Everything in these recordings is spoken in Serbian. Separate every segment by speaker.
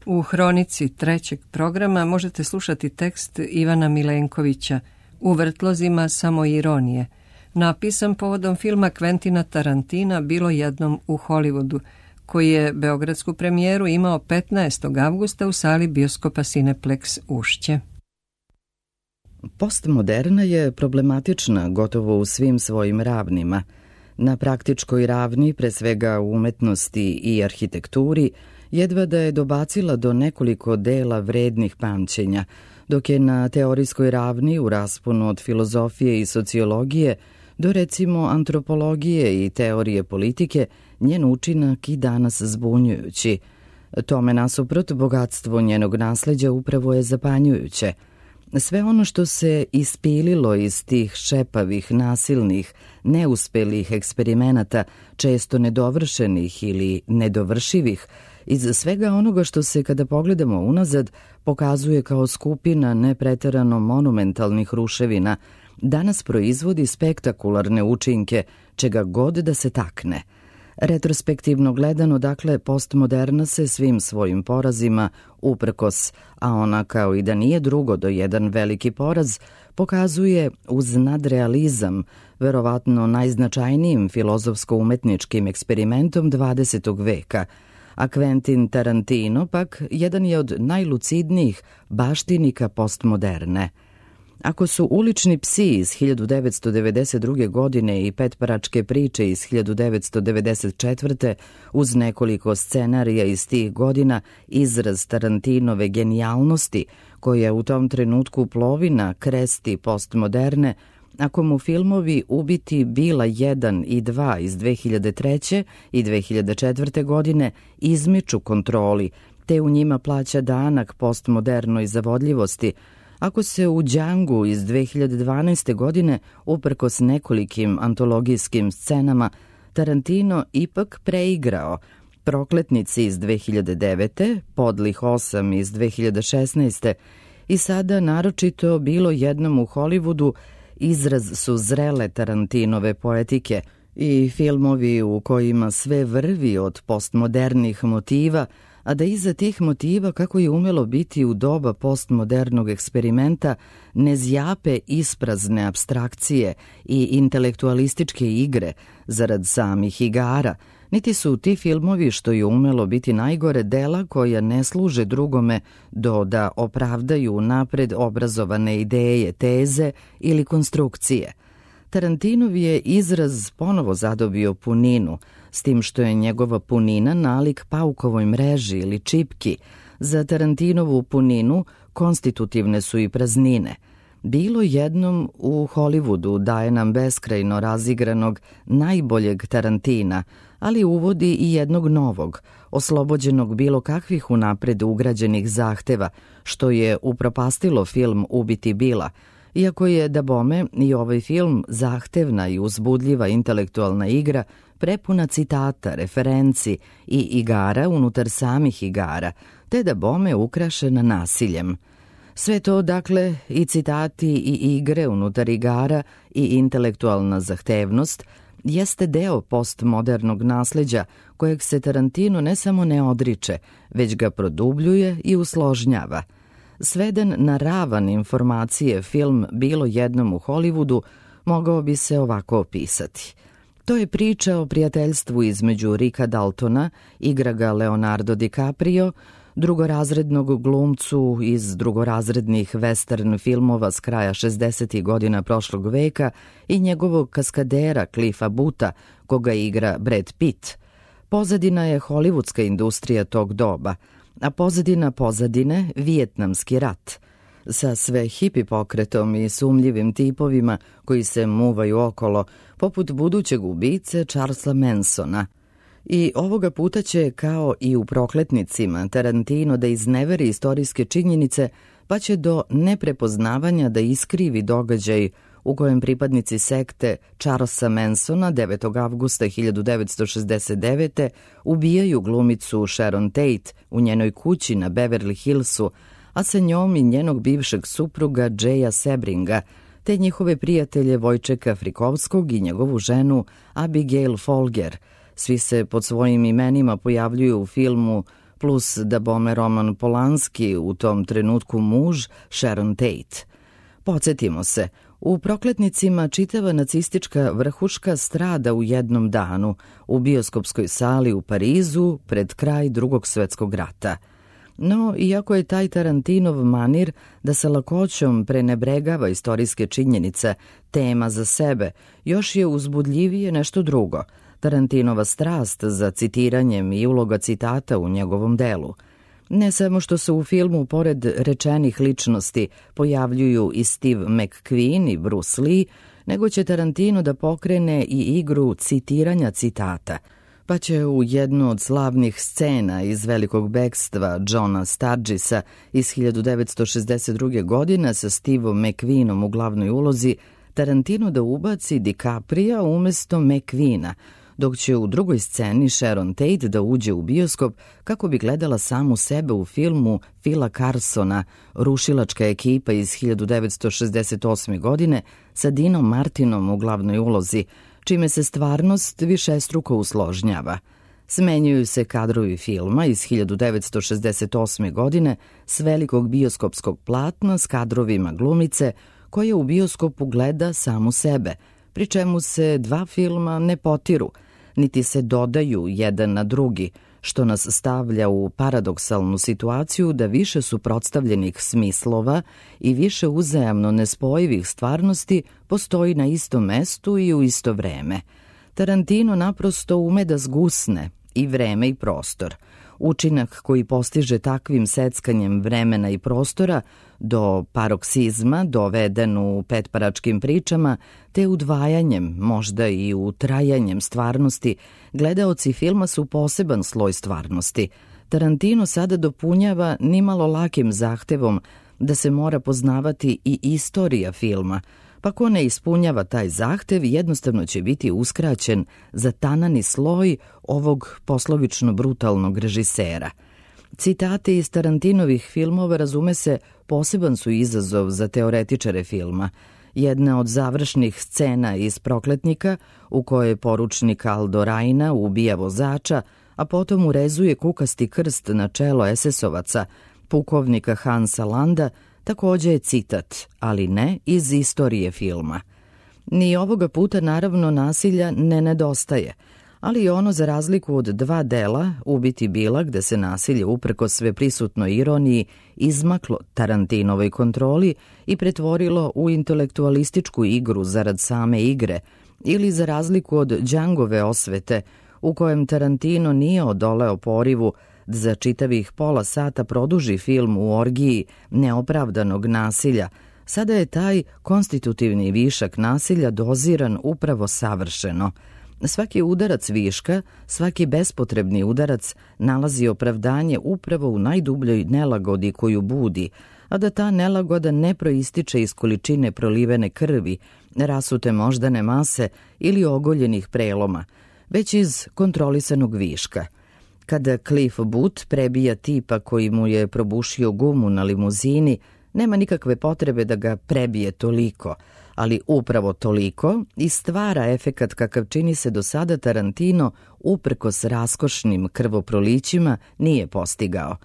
Speaker 1: U hronici trećeg programa možete slušati tekst Ivana Milenkovića U vrtlozima samo ironije, napisan povodom filma Quentina Tarantina Bilo jednom u Hollywoodu, koji je beogradsku premijeru imao 15. avgusta u sali bioskopa Cineplex Ušće.
Speaker 2: Postmoderna je problematična gotovo u svim svojim ravnima. Na praktičkoj ravni, pre svega u umetnosti i arhitekturi, jedva da je dobacila do nekoliko dela vrednih pamćenja, dok je na teorijskoj ravni u rasponu od filozofije i sociologije do recimo antropologije i teorije politike njen učinak i danas zbunjujući. Tome nasuprot, bogatstvo njenog nasleđa upravo je zapanjujuće. Sve ono što se ispililo iz tih šepavih, nasilnih, neuspelih eksperimenata, često nedovršenih ili nedovršivih, iz svega onoga što se, kada pogledamo unazad, pokazuje kao skupina nepreterano monumentalnih ruševina, danas proizvodi spektakularne učinke, čega god da se takne. Retrospektivno gledano, dakle, postmoderna se svim svojim porazima, uprkos, a ona kao i da nije drugo do jedan veliki poraz, pokazuje uz nadrealizam, verovatno najznačajnijim filozofsko-umetničkim eksperimentom 20. veka, a Quentin Tarantino pak jedan je od najlucidnijih baštinika postmoderne. Ako su Ulični psi iz 1992. godine i Petparačke priče iz 1994. uz nekoliko scenarija iz tih godina izraz Tarantinove genijalnosti, koja u tom trenutku plovi na kresti postmoderne, ako mu filmovi Ubiti Bila 1 i 2 iz 2003. i 2004. godine izmiču kontroli, te u njima plaća danak postmodernoj zavodljivosti, ako se u Djangu iz 2012. godine, uprkos nekolikim antologijskim scenama, Tarantino ipak preigrao Prokletnici iz 2009. Podlih 8 iz 2016. i sada naročito Bilo jednom u Hollywoodu izraz su zrele Tarantinove poetike i filmovi u kojima sve vrvi od postmodernih motiva, a da iza tih motiva, kako je umelo biti u doba postmodernog eksperimenta, ne zjape isprazne apstrakcije i intelektualističke igre zarad samih igara, niti su ti filmovi, što je umelo biti najgore, dela koja ne služe drugome do da opravdaju napred obrazovane ideje, teze ili konstrukcije. Tarantinov je izraz ponovo zadobio puninu, s tim što je njegova punina nalik paukovoj mreži ili čipki. Za Tarantinovu puninu konstitutivne su i praznine. Bilo jednom u Hollywoodu daje nam beskrajno razigranog najboljeg Tarantina, ali uvodi i jednog novog, oslobođenog bilo kakvih unapred ugrađenih zahteva, što je upropastilo film Ubiti Bila, iako je dabome i ovaj film zahtevna i uzbudljiva intelektualna igra, prepuna citata, referenci i igara unutar samih igara, te dabome ukrašena nasiljem. Sve to, dakle, i citati i igre unutar igara i intelektualna zahtevnost, jeste deo postmodernog nasleđa kojeg se Tarantino ne samo ne odriče, već ga produbljuje i usložnjava. Sveden na ravan informacije film Bilo jednom u Hollywoodu mogao bi se ovako opisati. To je priča o prijateljstvu između Ricka Daltona, igra ga Leonardo DiCaprio, drugorazrednog glumcu iz drugorazrednih western filmova s kraja 60. godina prošlog veka i njegovog kaskadera Cliffa Boota, koga igra Brad Pitt. Pozadina je hollywoodska industrija tog doba, a pozadina pozadine Vijetnamski rat, sa sve hipi pokretom i sumnjivim tipovima koji se muvaju okolo, poput budućeg ubice Charlesa Mansona. I ovoga puta će, kao i u Prokletnicima, Tarantino da izneveri istorijske činjenice, pa će do neprepoznavanja da iskrivi događaj u kojem pripadnici sekte Charlesa Mansona 9. avgusta 1969. ubijaju glumicu Sharon Tate u njenoj kući na Beverly Hillsu, a sa njom i njenog bivšeg supruga Jaya Sebringa, te njihove prijatelje Vojčeka Frikovskog i njegovu ženu Abigail Folger. Svi se pod svojim imenima pojavljuju u filmu plus da bome Roman Polanski, u tom trenutku muž Sharon Tate. Podsjetimo se, u Prokletnicima čitava nacistička vrhuška strada u jednom danu u bioskopskoj sali u Parizu pred kraj Drugog svjetskog rata. No, iako je taj Tarantinov manir da sa lakoćom prenebregava istorijske činjenice, tema za sebe, još je uzbudljivije nešto drugo, Tarantinova strast za citiranjem i uloga citata u njegovom delu. Ne samo što se u filmu, pored rečenih ličnosti, pojavljuju i Steve McQueen i Bruce Lee, nego će Tarantino da pokrene i igru citiranja citata, pa će u jednu od slavnih scena iz Velikog bekstva Johna Sturgisa iz 1962. godine sa Steveom McQueenom u glavnoj ulozi Tarantino da ubaci DiCaprija umjesto McQueena, dok će u drugoj sceni Sharon Tate da uđe u bioskop kako bi gledala samu sebe u filmu Phila Carsona, Rušilačka ekipa iz 1968. godine sa Deanom Martinom u glavnoj ulozi, čime se stvarnost višestruko usložnjava. Smenjuju se kadrovi filma iz 1968. godine s velikog bioskopskog platna s kadrovima glumice koja u bioskopu gleda samu sebe, pri čemu se dva filma ne potiru, niti se dodaju jedan na drugi, što nas stavlja u paradoksalnu situaciju da više suprotstavljenih smislova i više uzajamno nespojivih stvarnosti postoji na istom mestu i u isto vreme. Tarantino naprosto ume da zgusne i vreme i prostor. Učinak koji postiže takvim seckanjem vremena i prostora do paroksizma doveden u petparačkim pričama, te udvajanjem, možda i utrajanjem stvarnosti, gledaoci filma su poseban sloj stvarnosti. Tarantino sada dopunjava nimalo lakim zahtevom da se mora poznavati i istorija filma, pa ko ne ispunjava taj zahtev jednostavno će biti uskraćen za tanani sloj ovog poslovično brutalnog režisera. Citati iz Tarantinovih filmova, razume se, poseban su izazov za teoretičare filma. Jedna od završnih scena iz Prokletnika, u kojoj poručnik Aldo Raina ubija vozača, a potom urezuje kukasti krst na čelo SS-ovaca, pukovnika Hansa Landa, također je citat, ali ne iz istorije filma. Ni ovoga puta naravno nasilja ne nedostaje, ali ono za razliku od dva dela, Ubiti Bila, gde se nasilje uprkos sve prisutnoj ironiji izmaklo Tarantinovoj kontroli i pretvorilo u intelektualističku igru zarad same igre, ili za razliku od Đangove osvete, u kojem Tarantino nije odoleo porivu za čitavih pola sata produži film u orgiji neopravdanog nasilja, sada je taj konstitutivni višak nasilja doziran upravo savršeno. Svaki udarac viška, svaki bespotrebni udarac nalazi opravdanje upravo u najdubljoj nelagodi koju budi, a da ta nelagoda ne proističe iz količine prolivene krvi, rasute moždane mase ili ogoljenih preloma, već iz kontrolisanog viška. Kada Cliff Booth prebija tipa koji mu je probušio gumu na limuzini, nema nikakve potrebe da ga prebije toliko, ali upravo toliko i stvara efekat kakav čini se do sada Tarantino uprkos raskošnim krvoprolićima nije postigao.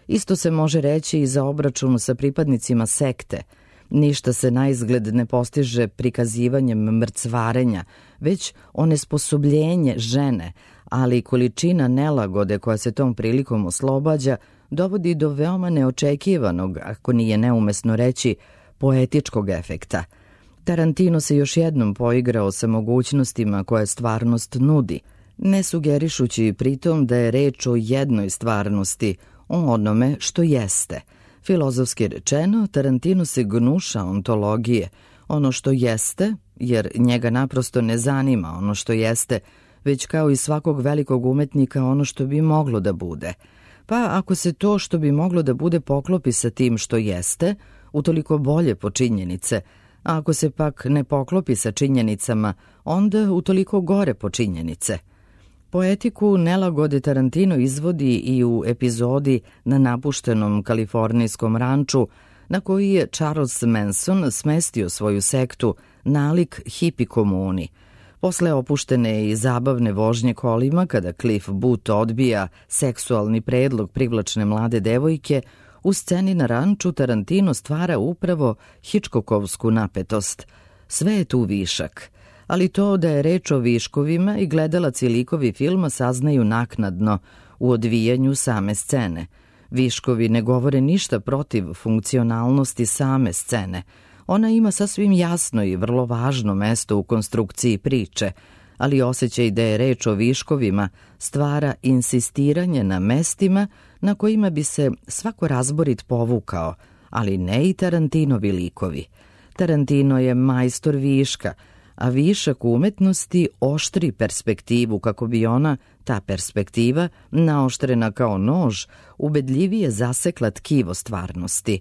Speaker 2: Isto se može reći i za obračun sa pripadnicima sekte. Ništa se naizgled ne postiže prikazivanjem mrcvarenja, već onesposobljenje žene, ali količina nelagode koja se tom prilikom oslobađa dovodi do veoma neočekivanog, ako nije neumesno reći, poetičkog efekta. Tarantino se još jednom poigrao sa mogućnostima koje stvarnost nudi, ne sugerišući pritom da je reč o jednoj stvarnosti, o onome što jeste. Filozofski rečeno, Tarantino se gnuša ontologije, ono što jeste, jer njega naprosto ne zanima ono što jeste, već kao i svakog velikog umetnika ono što bi moglo da bude. Pa ako se to što bi moglo da bude poklopi sa tim što jeste, utoliko bolje po činjenice, a ako se pak ne poklopi sa činjenicama, onda utoliko gore po činjenice. Poetiku nelagode Tarantino izvodi i u epizodi na napuštenom kalifornijskom ranču na koji je Charles Manson smestio svoju sektu nalik hipi komuni. Posle opuštene i zabavne vožnje kolima, kada Cliff Booth odbija seksualni predlog privlačne mlade devojke, u sceni na ranču Tarantino stvara upravo Hitchcockovsku napetost. Sve je tu višak, ali to da je reč o viškovima i gledalac i likovi filma saznaju naknadno u odvijanju same scene. Viškovi ne govore ništa protiv funkcionalnosti same scene. Ona ima sasvim jasno i vrlo važno mesto u konstrukciji priče, ali osjećaj da je reč o viškovima stvara insistiranje na mestima na kojima bi se svako razborit povukao, ali ne i Tarantinovi likovi. Tarantino je majstor viška, a višak umetnosti oštri perspektivu kako bi ona, ta perspektiva, naoštrena kao nož, ubedljivije zasekla tkivo stvarnosti.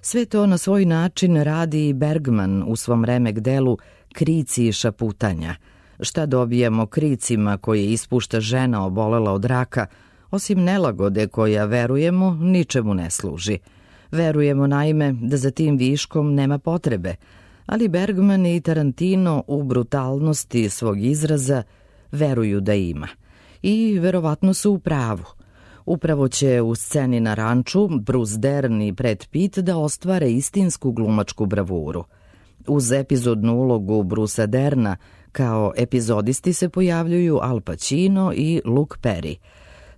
Speaker 2: Sve to na svoj način radi i Bergman u svom remek delu Krici i šaputanja. Šta dobijamo kricima koje ispušta žena obolela od raka, osim nelagode koja, verujemo, ničemu ne služi. Verujemo naime da za tim viškom nema potrebe, ali Bergman i Tarantino u brutalnosti svog izraza veruju da ima. I verovatno su u pravu. Upravo će u sceni na ranču Bruce Dern i Brad Pitt da ostvare istinsku glumačku bravuru. Uz epizodnu ulogu Brucea Derna kao epizodisti se pojavljuju Al Pacino i Luke Perry.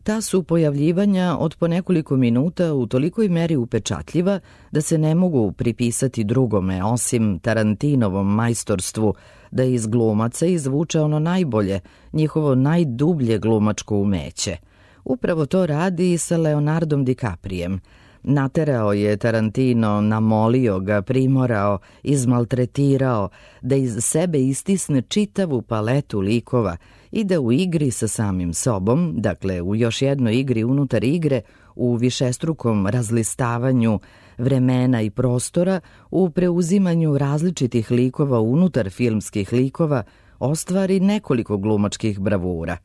Speaker 2: Ta su pojavljivanja od po nekoliko minuta u tolikoj meri upečatljiva da se ne mogu pripisati drugome osim Tarantinovom majstorstvu da iz glumaca izvuče ono najbolje, njihovo najdublje glumačko umeće. Upravo to radi i sa Leonardom DiCaprijem. Naterao je Tarantino, namolio ga, primorao, izmaltretirao, da iz sebe istisne čitavu paletu likova i da u igri sa samim sobom, dakle u još jednoj igri unutar igre, u višestrukom razlistavanju vremena i prostora, u preuzimanju različitih likova unutar filmskih likova, ostvari nekoliko glumačkih bravura.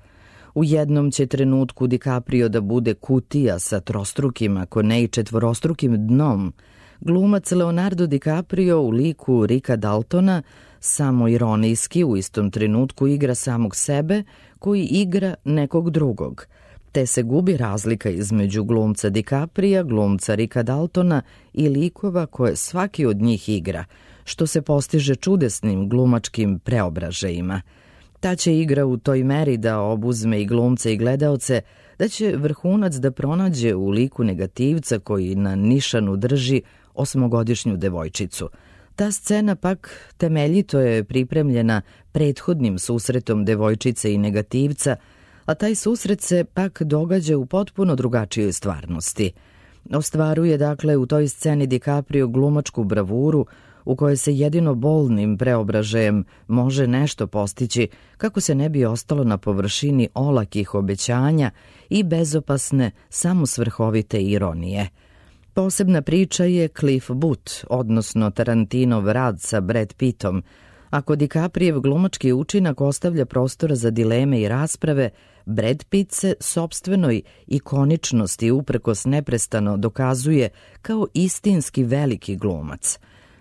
Speaker 2: U jednom će trenutku DiCaprio da bude kutija sa trostrukim, ako ne i četvorostrukim dnom. Glumac Leonardo DiCaprio u liku Ricka Daltona samo ironijski u istom trenutku igra samog sebe koji igra nekog drugog. Te se gubi razlika između glumca DiCaprija, glumca Ricka Daltona i likova koje svaki od njih igra, što se postiže čudesnim glumačkim preobražajima. Ta će igra u toj meri da obuzme i glumce i gledaoce, da će vrhunac da pronađe u liku negativca koji na nišanu drži 8-godišnju devojčicu. Ta scena pak temeljito je pripremljena prethodnim susretom devojčice i negativca, a taj susret se pak događa u potpuno drugačijoj stvarnosti. Ostvaruje dakle u toj sceni DiCaprio glumačku bravuru u kojoj se jedino bolnim preobražajem može nešto postići kako se ne bi ostalo na površini olakih obećanja i bezopasne samosvrhovite ironije. Posebna priča je Cliff Booth, odnosno Tarantinov rad sa Brad Pittom. Ako DiCaprijev glumački učinak ostavlja prostora za dileme i rasprave, Brad Pitt se sopstvenoj ikoničnosti uprkos neprestano dokazuje kao istinski veliki glumac.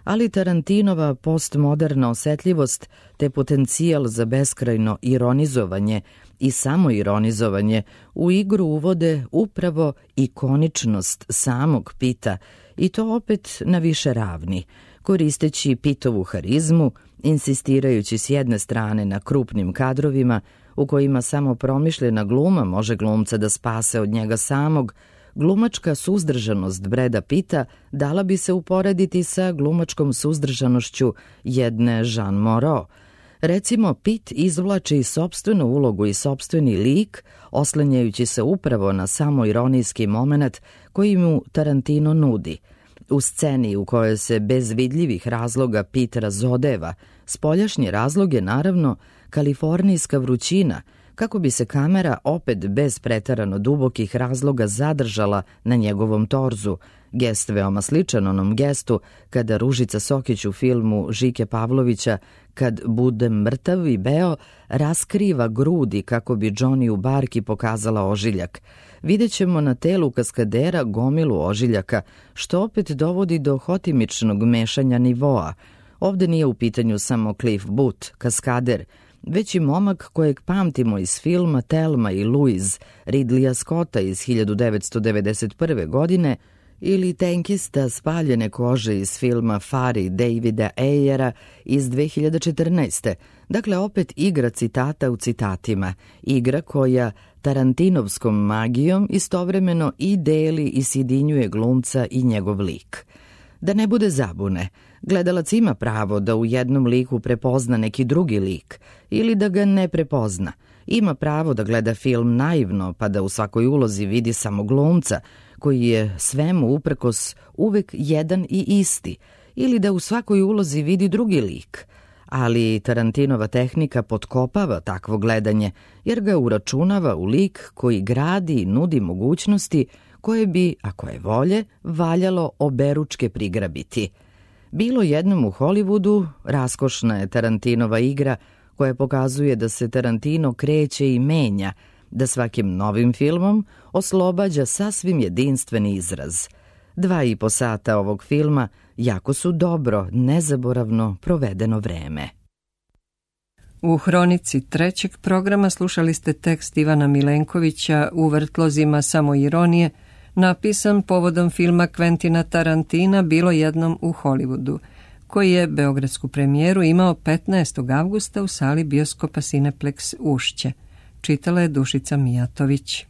Speaker 2: Ali Tarantinova postmoderna osetljivost te potencijal za beskrajno ironizovanje i samoironizovanje u igru uvode upravo ikoničnost samog Pitta i to opet na više ravni, koristeći Pittovu harizmu, insistirajući s jedne strane na krupnim kadrovima u kojima samo promišljena gluma može glumca da spase od njega samog. Glumačka suzdržanost Brada Pitta dala bi se uporediti sa glumačkom suzdržanošću jedne Jeanne Moreau. Recimo, Pitt izvlači sopstvenu ulogu i sopstveni lik, oslanjajući se upravo na samoironijski moment koji mu Tarantino nudi. U sceni u kojoj se bez vidljivih razloga Pitt razodeva, spoljašnji razlog je naravno kalifornijska vrućina, kako bi se kamera opet bez preterano dubokih razloga zadržala na njegovom torzu, gest veoma sličan onom gestu kada Ružica Sokić u filmu Žike Pavlovića Kad budem mrtav i beo raskriva grudi kako bi Johnny u barki pokazala ožiljak. Vidjet ćemo na telu kaskadera gomilu ožiljaka, što opet dovodi do hotimičnog mešanja nivoa. Ovde nije u pitanju samo Cliff Booth, kaskader, već i momak kojeg pamtimo iz filma Thelma i Louise Ridleya Scotta iz 1991. godine ili tenkista spaljene kože iz filma Fari Davida Ayera iz 2014. Dakle, opet igra citata u citatima, igra koja Tarantinovskom magijom istovremeno i deli i sjedinjuje glumca i njegov lik. Da ne bude zabune, gledalac ima pravo da u jednom liku prepozna neki drugi lik ili da ga ne prepozna. Ima pravo da gleda film naivno pa da u svakoj ulozi vidi samo glumca koji je svemu uprkos uvek jedan i isti ili da u svakoj ulozi vidi drugi lik. Ali Tarantinova tehnika potkopava takvo gledanje jer ga uračunava u lik koji gradi i nudi mogućnosti koje bi, ako je volje, valjalo oberučke prigrabiti. Bilo jednom u Hollywoodu raskošna je Tarantinova igra koja pokazuje da se Tarantino kreće i menja, da svakim novim filmom oslobađa sasvim jedinstveni izraz. 2,5 sata ovog filma jako su dobro, nezaboravno provedeno vreme.
Speaker 1: U hronici trećeg programa slušali ste tekst Ivana Milenkovića U vrtlozima samoironije, napisan povodom filma Quentina Tarantina Bilo jednom u Hollywoodu, koji je beogradsku premijeru imao 15. avgusta u sali bioskopa Cineplex Ušće. Čitala je Dušica Mijatović.